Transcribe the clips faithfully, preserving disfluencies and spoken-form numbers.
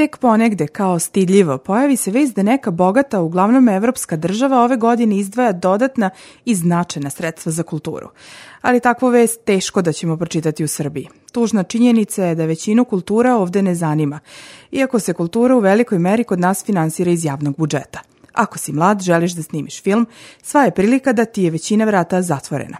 tek ponegde kao stidljivo pojavi se vest da neka bogata, uglavnom evropska država ove godine izdvaja dodatna i značajna sredstva za kulturu. Ali takvu vest teško da ćemo pročitati u Srbiji. Tužna činjenica je da većinu kultura ovde ne zanima, iako se kultura u velikoj meri kod nas finansira iz javnog budžeta. Ako si mlad, želiš da snimiš film, sva je prilika da ti je većina vrata zatvorena.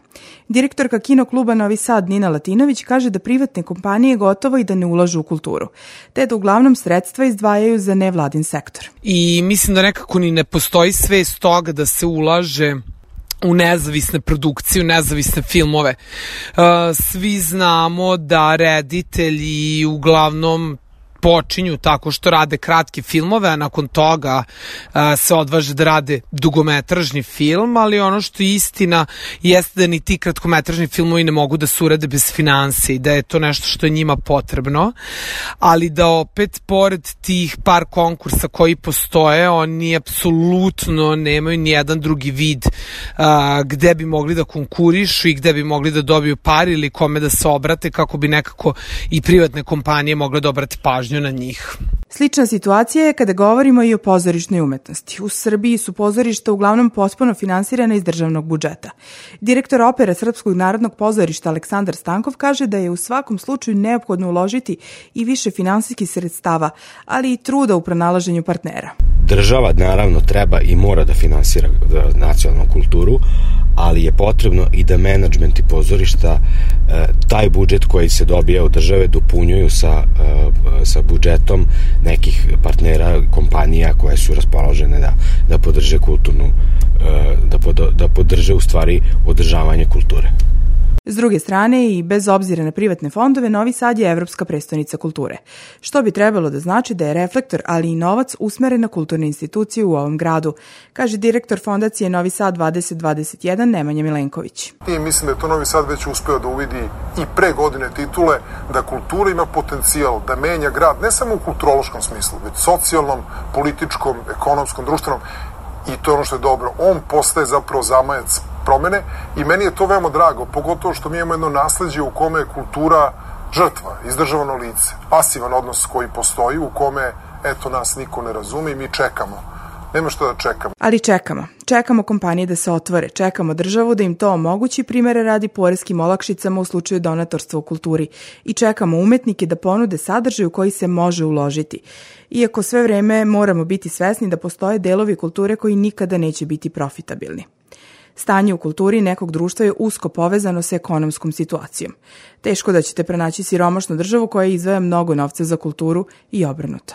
Direktorka Kino kluba Novi Sad Nina Latinović kaže da privatne kompanije gotovo i da ne ulažu u kulturu, te da uglavnom sredstva izdvajaju za nevladin sektor. I mislim da nekako ni ne postoji svest toga da se ulaže u nezavisne produkcije, u nezavisne filmove. Svi znamo da reditelji uglavnom počinju tako što rade kratke filmove, a nakon toga a, se odvaže da rade dugometražni film, ali ono što je istina jeste da ni ti kratkometražni filmovi ne mogu da se urade bez finansija i da je to nešto što je njima potrebno, ali da opet pored tih par konkursa koji postoje, oni apsolutno nemaju ni jedan drugi vid a, gde bi mogli da konkurišu i gde bi mogli da dobiju par ili kome da se obrate kako bi nekako i privatne kompanije mogle da obrate pažnju na njih. Slična situacija je kada govorimo i o pozorišnoj umetnosti. U Srbiji su pozorišta uglavnom potpuno finansirana iz državnog budžeta. Direktor opere Srpskog narodnog pozorišta Aleksandar Stankov kaže da je u svakom slučaju neophodno uložiti i više finansijskih sredstava, ali i truda u pronalaženju partnera. Država naravno treba i mora da finansira nacionalnu kulturu, ali je potrebno i da menadžment i pozorišta taj budžet koji se dobija od države dopunjuju sa, sa budžetom nekih partnera, kompanija koje su raspoložene da, da podrže kulturnu, da, pod, da podrže u stvari održavanje kulture. S druge strane, i bez obzira na privatne fondove, Novi Sad je evropska prestonica kulture, što bi trebalo da znači da je reflektor, ali i novac usmeren na kulturne institucije u ovom gradu, kaže direktor fondacije Novi Sad dvadeset dvadeset jedan Nemanja Milenković. I mislim da je to Novi Sad već uspeo da uvidi i pre godine titule, da kultura ima potencijal da menja grad, ne samo u kulturološkom smislu, već socijalnom, političkom, ekonomskom, društvenom, i to je ono što je dobro. On postaje zapravo zamajac promene i meni je to veoma drago, pogotovo što mi imamo jedno nasleđe u kome je kultura žrtva, izdržavano lice, pasivan odnos koji postoji, u kome, eto, nas niko ne razume i mi čekamo. Nema što da čekamo. Ali čekamo. Čekamo kompanije da se otvore, čekamo državu da im to omogući, primere radi poreskim olakšicama u slučaju donatorstva u kulturi, i čekamo umetnike da ponude sadržaj u koji se može uložiti. Iako sve vreme moramo biti svesni da postoje delovi kulture koji nikada neće biti profitabilni. Stanje u kulturi nekog društva je usko povezano sa ekonomskom situacijom. Teško da ćete pronaći siromašnu državu koja izdvaja mnogo novca za kulturu i obrnuto.